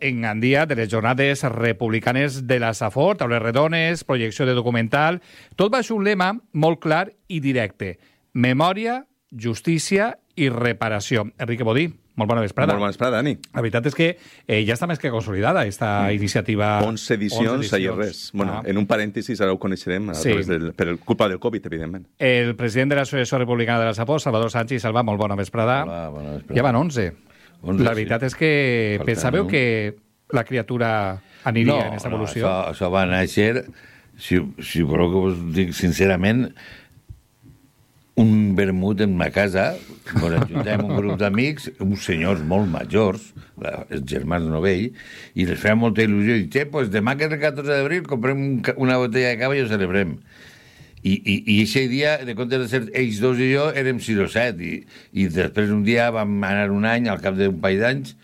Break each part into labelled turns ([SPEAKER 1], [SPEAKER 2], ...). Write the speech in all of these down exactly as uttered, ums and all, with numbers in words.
[SPEAKER 1] en Gandia de les jornades republicanes de la Safor, taules redones, projecció de documental... Tot va ser un lema molt clar i directe. Memòria, justícia i reparació. Enrique Bodí, molt bona vesprada.
[SPEAKER 2] Molt bona vesprada, Dani.
[SPEAKER 1] La veritat és que eh, ja està més que consolidada aquesta iniciativa.
[SPEAKER 2] onze edicions, ahir res. Bueno, ah. En un parèntesis, ara ho coneixerem, a sí. del, per culpa del Covid, evidentment.
[SPEAKER 1] El president de l'Associació Republicana de la Safor, Salvador Sánchez Salva, molt bona vesprada.
[SPEAKER 3] Hola, bona vesprada.
[SPEAKER 1] Ja van onze. onze la veritat sí. és que Faltant, pensàveu no? que la criatura aniria
[SPEAKER 3] no,
[SPEAKER 1] en aquesta
[SPEAKER 3] no,
[SPEAKER 1] evolució?
[SPEAKER 3] Això, això va néixer, si, si voleu que us dic sincerament, un vermut en ma casa, on ajuntem un grup d'amics, uns senyors molt majors, la, els germans Novell, i les feia molta il·lusió, i dic, pues demà que és el catorze d'abril comprem un, una botella de cava i ho celebrem. I, i, i aquest dia, de comptes de ser ells dos i jo, érem sis o set, i, i després un dia vam anar un any, al cap d'un parell d'anys,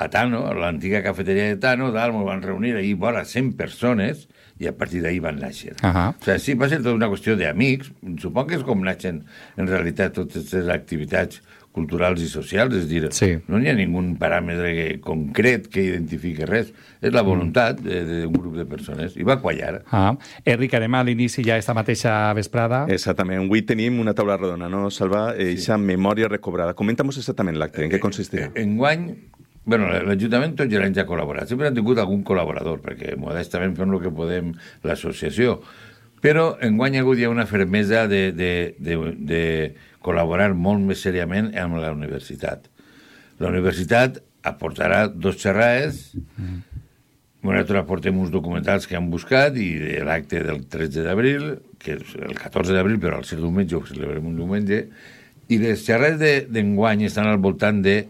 [SPEAKER 3] a Tano, a l'antiga cafeteria de Tano, dalt, ens van reunir ahir vora cent persones, i a partir d'ahir van néixer. Uh -huh. O sigui, sí, va ser tota una qüestió d'amics, suponc que és com naixen en realitat totes les activitats culturals i socials, és dir, sí. no hi ha ningú paràmetre concret que identifiqui res, és la voluntat d'un grup de persones, i va quallar.
[SPEAKER 1] Ah. Enric, anem a l'inici ja esta mateixa vesprada.
[SPEAKER 2] Exactament, avui tenim una taula redona, no, Salva? Eixa sí. memòria recobrada. Comenta'm exactament l'acte, en què consistirà?
[SPEAKER 3] Eh, enguany, bueno, l'Ajuntament tots els anys ha col·laborat, sempre han tingut algun col·laborador, perquè modestament fem el que podem l'associació, però enguany ha hagut ja una fermesa de, de, de, de col·laborar molt més seriament amb la universitat. La universitat aportarà dos xerrades, mm. nosaltres aportem uns documentals que han buscat, i l'acte del tretze d'abril, que és el catorze d'abril, però al ser diumenge ho celebrem un diumenge, i les xerrades d'enguany estan al voltant de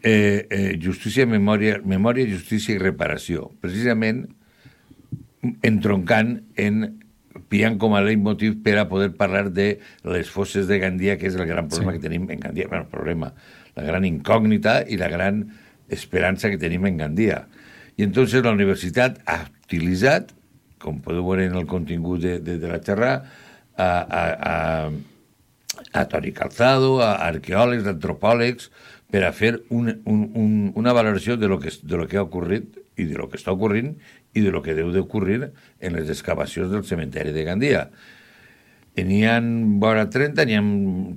[SPEAKER 3] eh, eh, justícia, memòria, memòria, justícia i reparació. Precisament entroncant en pillant com a leitmotiv per a poder parlar de les fosses de Gandia, que és el gran problema sí. que tenim en Gandia. Bueno, el problema, la gran incògnita i la gran esperança que tenim en Gandia. I entonces la universitat ha utilitzat, com podeu veure en el contingut de, de, de la xerrada, a, a, a, a Toni Calzado, a arqueòlegs, antropòlegs, per a fer un, un, un, una valoració de lo, que, de lo que ha ocorrit i de lo que està ocorrint i de lo que deu d'ocorrir en les excavacions del cementeri de Gandia. N'hi ha vora trenta, n'hi ha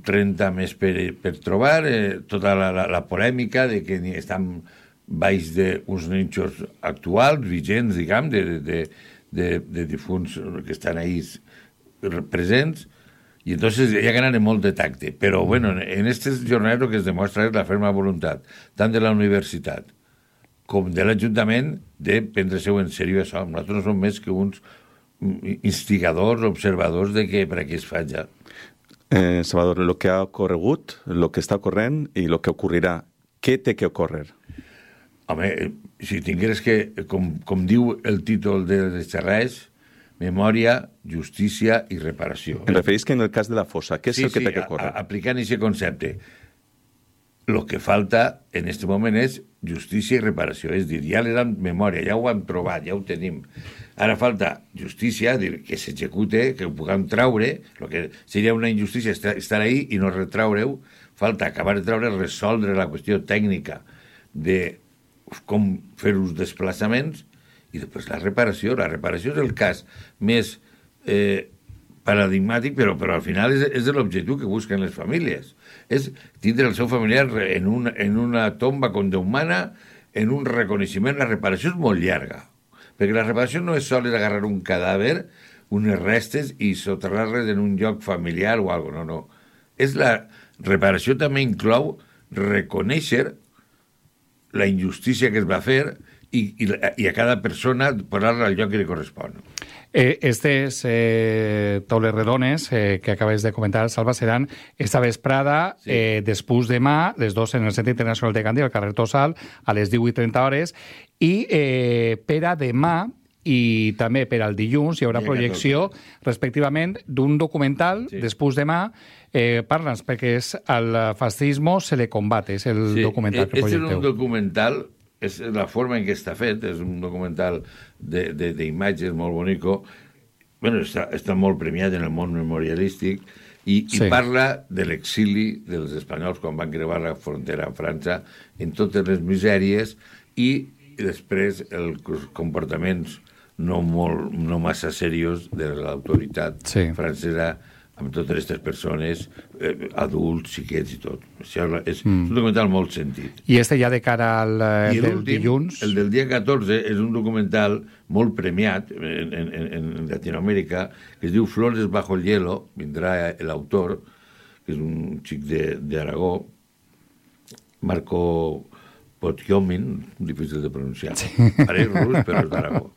[SPEAKER 3] trenta més per, per trobar, eh, tota la, la, la polèmica de que estan baix d'uns nínxols actuals, vigents, diguem, de, de, de, de difunts que estan ahí presents, i entonces hi ha que anar amb molt de tacte. Però, bueno, en aquestes jornades el que es demostra és la ferma voluntat, tant de la universitat com de l'Ajuntament, de prendre-se-ho en sèrio això. Nosaltres no som més que uns instigadors, observadors de que per aquí es faig.
[SPEAKER 2] Eh, Salvador, lo que ha ocorregut, lo que està ocorrent i lo que ocorrirà, què té que ocórrer?
[SPEAKER 3] Home, si tingueres que, com, com diu el títol de les xerrades, memòria, justícia i reparació.
[SPEAKER 2] Em referís que en el cas de la fossa, què és
[SPEAKER 3] sí,
[SPEAKER 2] el que
[SPEAKER 3] sí,
[SPEAKER 2] té que ocórrer?
[SPEAKER 3] A, aplicant aquest concepte, el que falta en aquest moment és justícia i reparació. És dir, ja li dan memòria, ja ho hem trobat, ja ho tenim. Ara falta justícia, dir, que s'execute, que ho puguem traure, el que seria una injustícia estar ahí i no retraure-ho. Falta acabar de traure, resoldre la qüestió tècnica de com fer els desplaçaments i després la reparació. La reparació és el cas més eh, paradigmàtic, però, però al final és, és l'objectiu que busquen les famílies. És tindre el seu familiar en una, en una tomba condemnada, en un reconeixement. La reparació és molt llarga, perquè la reparació no és sols agarrar un cadàver, unes restes i soterrar-les en un lloc familiar o alguna cosa, no, no. És la reparació també inclou reconèixer la injustícia que es va fer i, i, i a cada persona posar-la al lloc que li correspon.
[SPEAKER 1] Eh, estes eh, taules redones eh, que acabes de comentar, Salva, seran esta vesprada, sí. eh, després demà, les dos en el Centre Internacional de Gandia, al carrer Tossal, a les divuit i trenta hores, i eh, per a demà i també per al dilluns hi haurà projecció, respectivament, d'un documental, sí. després demà, eh, parla'ns, perquè és el fascismo se le combate, és el sí. documental que projecteu.
[SPEAKER 3] És un documental, és la forma en què està fet, és un documental d'imatges molt bonico, bueno, està, està molt premiat en el món memorialístic, i, sí. i parla de l'exili dels espanyols quan van creuar la frontera a França, en totes les misèries, i després els comportaments no, molt, no massa serios de l'autoritat sí. francesa amb totes aquestes persones, eh, adults, xiquets i tot. Això és mm. un documental molt sentit.
[SPEAKER 1] I este ja de cara al eh, del dilluns?
[SPEAKER 3] El del dia catorze és un documental molt premiat en, en, en Latinoamèrica, que es diu Flores bajo el hielo, vindrà l'autor, que és un xic d'Aragó, Marco Potiomin, difícil de pronunciar. Sí. Pareix rus, però és d'Aragó.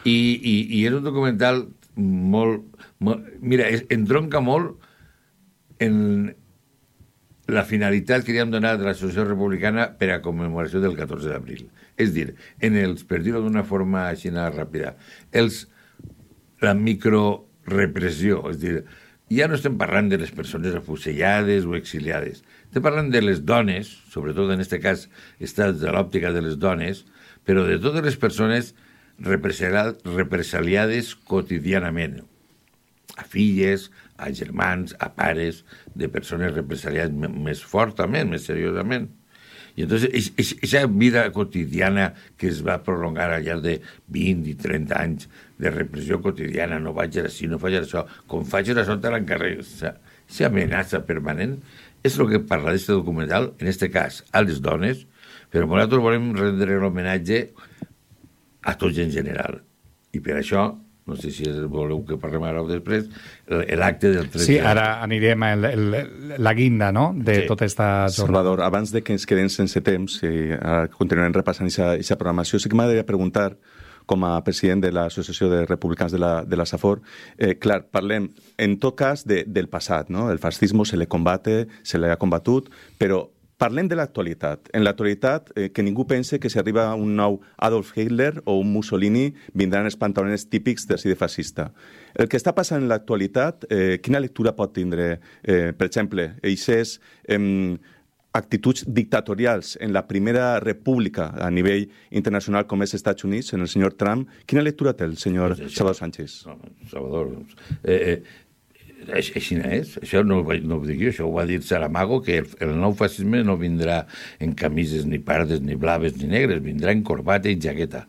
[SPEAKER 3] I, i, I és un documental molt... molt mira, es, entronca molt en la finalitat que li hem donat a l'Associació Republicana per a commemoració del catorze d'abril. És dir, en els, per dir-ho d'una forma així ràpida, els, la microrepressió, és dir, ja no estem parlant de les persones afusellades o exiliades, estem parlant de les dones, sobretot en aquest cas està de l'òptica de les dones, però de totes les persones represaliades quotidianament, a filles, a germans, a pares, de persones represaliades més fortament, més seriosament. I entonces, aquesta vida quotidiana que es va prolongar al llarg de vint i trenta anys de repressió quotidiana, no vaig així, no faig això, com faig això te l'encarrego, aquesta amenaça permanent, és el que parla d'aquest documental, en aquest cas, a les dones, però nosaltres volem rendre l'homenatge a tots en general. I per això, no sé si voleu que parlem ara o després, l'acte del tretze.
[SPEAKER 1] Sí, ara anirem a el, el, la guinda, no?, de sí. tota aquesta jornada.
[SPEAKER 2] Salvador, abans de que ens quedem sense temps, i ara continuarem repassant aquesta programació, sí que m'agradaria preguntar, com a president de l'Associació de Republicans de la, de la SAFOR, eh, clar, parlem en tot cas de, del passat, no? El fascisme se le combate, se le ha combatut, però parlem de l'actualitat. En l'actualitat, eh, que ningú pense que si arriba un nou Adolf Hitler o un Mussolini vindran els pantalons típics de de fascista. El que està passant en l'actualitat, eh, quina lectura pot tindre? Eh, per exemple, eixes eh, actituds dictatorials en la primera república a nivell internacional com és els Estats Units, en el senyor Trump, quina lectura té el senyor pues això, Salvador Sánchez?
[SPEAKER 3] No, Salvador, eh, eh, així no és, això no, no ho dic jo, això ho va dir Saramago, que el, el nou fascisme no vindrà en camises ni pardes, ni blaves, ni negres, vindrà en corbata i jaqueta.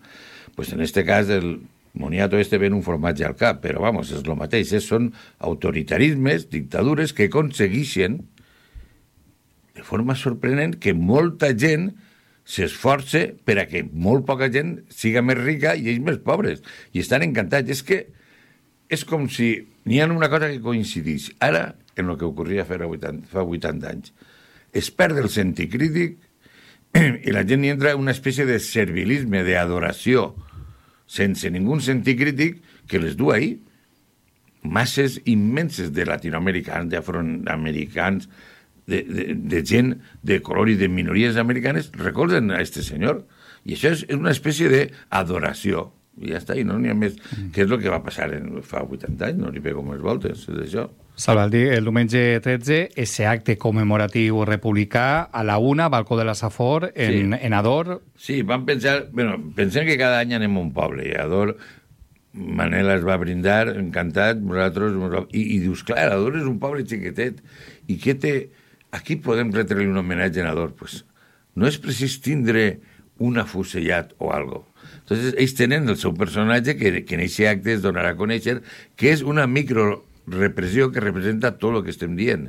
[SPEAKER 3] Pues en este cas el moniato este ven un formatge al cap, però vamos, és el mateix, és, són autoritarismes, dictadures que aconsegueixen de forma sorprenent que molta gent s'esforça per a que molt poca gent siga més rica i ells més pobres. I estan encantats. És que és com si n'hi ha una cosa que coincideix ara en el que ocorria fa vuitanta anys. Es perd el sentit crític i la gent hi entra en una espècie de servilisme, d'adoració, sense ningú sentit crític, que les du ahí. Masses immenses de latinoamericans, d'afroamericans, de, de, de gent de color i de minories americanes recolzen a este senyor. I això és una espècie d'adoració. I ja està, i no n'hi ha més. Mm. Què és el que va passar en, fa vuitanta anys? No n'hi pego més voltes, és això.
[SPEAKER 1] Salvaldi, el diumenge tretze, ese acte commemoratiu republicà a la una, balcó de la Safor, en, sí. en Ador.
[SPEAKER 3] Sí, vam pensar... Bueno, pensem que cada any anem a un poble, i a Ador Manela es va brindar, encantat, nosaltres... I, i dius, clar, Ador és un poble xiquetet, i què té... Aquí podem retre-li un homenatge a Ador. Pues no és precís tindre un afusellat o algo. Entonces, ells tenen el seu personatge que, que en aquest acte es donarà a conèixer, que és una microrepressió que representa tot el que estem dient.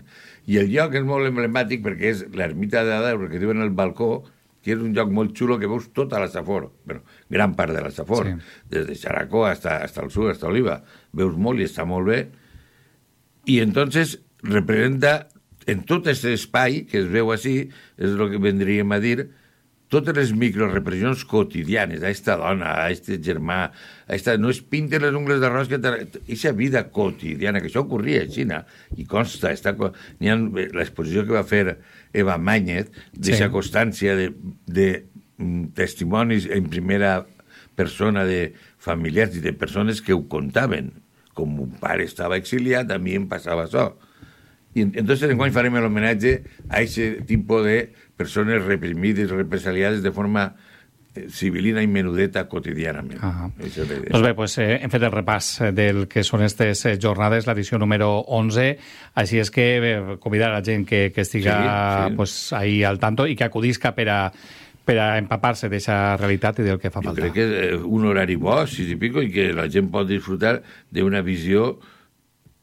[SPEAKER 3] I el lloc és molt emblemàtic perquè és l'ermita d'Ador, que diuen el balcó, que és un lloc molt xulo que veus tota la Safor, bueno, gran part de la Safor, sí. Des de Xaracó hasta, hasta el sud, hasta Oliva. Veus molt i està molt bé. I entonces representa en tot aquest espai que es veu així, és el que vendríem a dir, totes les microrepressions quotidianes, a esta dona, a este germà, a esta... no es pinten les ungles d'arròs, que aquesta vida quotidiana, que això ocorria a Xina, i consta, està, n'hi ha l'exposició que va fer Eva Mañez, d'aquesta sí. constància de, de testimonis en primera persona de familiars i de persones que ho contaven. Com un pare estava exiliat, a mi em passava això. I entonces enguany farem l'homenatge a aquest tipus de persones reprimides, represaliades de forma civilina i menudeta quotidianament. Ah.
[SPEAKER 1] Doncs bé, pues, eh, hem fet el repàs del que són aquestes jornades, l'edició número onze, així és que eh, convidar a la gent que, que estiga sí, sí. Pues, ahí al tanto i que acudisca per a per a empapar-se d'aquesta realitat i del que fa
[SPEAKER 3] Jo
[SPEAKER 1] falta.
[SPEAKER 3] crec que un horari bo, sis i pico, i que la gent pot disfrutar d'una visió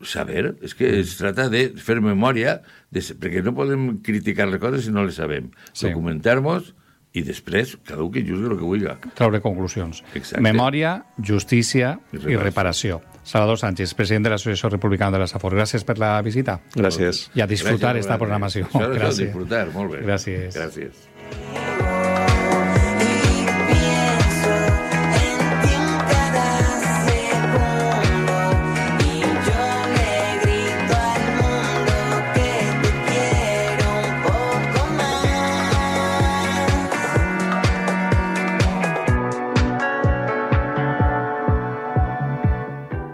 [SPEAKER 3] saber. És que es trata de fer memòria, de, perquè no podem criticar les coses si no les sabem.
[SPEAKER 1] Sí.
[SPEAKER 3] Documentar-nos i després cada un que juzgui el que vulgui.
[SPEAKER 1] Treure conclusions.
[SPEAKER 3] Exacte.
[SPEAKER 1] Memòria, justícia
[SPEAKER 3] I
[SPEAKER 1] i
[SPEAKER 3] reparació.
[SPEAKER 1] reparació. Salvador Sánchez, president de l'Associació Republicana de la Safor. Gràcies per la visita.
[SPEAKER 2] Gràcies.
[SPEAKER 1] I a disfrutar
[SPEAKER 3] Gràcies,
[SPEAKER 1] esta
[SPEAKER 3] Robert.
[SPEAKER 1] programació.
[SPEAKER 3] Això, això,
[SPEAKER 1] Gràcies.
[SPEAKER 3] disfrutar, molt bé.
[SPEAKER 1] Gràcies.
[SPEAKER 3] Gràcies.